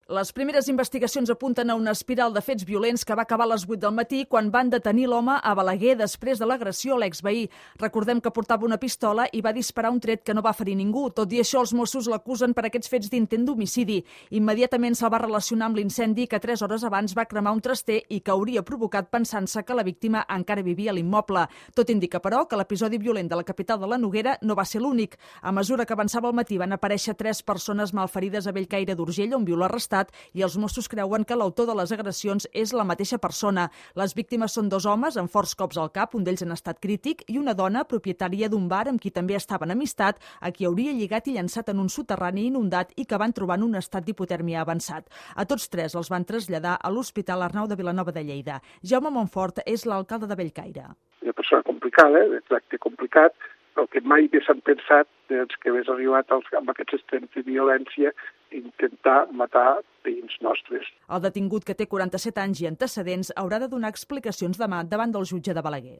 Les primeres investigacions apunten a una espiral de fets violents que va acabar a les 8 del matí quan van detenir l'home a Balaguer després de l'agressió a l'exveí. Recordem que portava una pistola i va disparar un tret que no va ferir ningú. Tot i això, els Mossos l'acusen per aquests fets d'intent d'homicidi. Immediatament se'l va relacionar amb l'incendi que 3 hores abans va cremar un traster i que hauria provocat pensant-se que la víctima encara vivia a l'immoble. Tot indica, però, que l'episodi violent de la capital de la Noguera no va ser l'únic. A mesura que avançava el matí van aparèixer 3 persones malferides a Bellcaire d'Urgell, on viu l'arrestat, i els Mossos creuen que l'autor de les agressions és la mateixa persona. Les víctimes són 2 homes amb forts cops al cap, un d'ells en estat crític, i una dona propietària d'un bar amb qui també estava en amistat, a qui hauria lligat i llançat en un soterrani inundat i que van trobar en un estat d'hipotèrmia avançat. A tots 3 els van traslladar a l'Hospital Arnau de Vilanova de Lleida. Jaume Montfort és l'alcalde de Bellcaire. Una persona complicada, de tracte complicat, però que mai haguéssim pensat que hagués arribat amb aquests extrems de violència intentar matar veïns nostres. El detingut, que té 47 anys i antecedents, haurà de donar explicacions demà davant del jutge de Balaguer.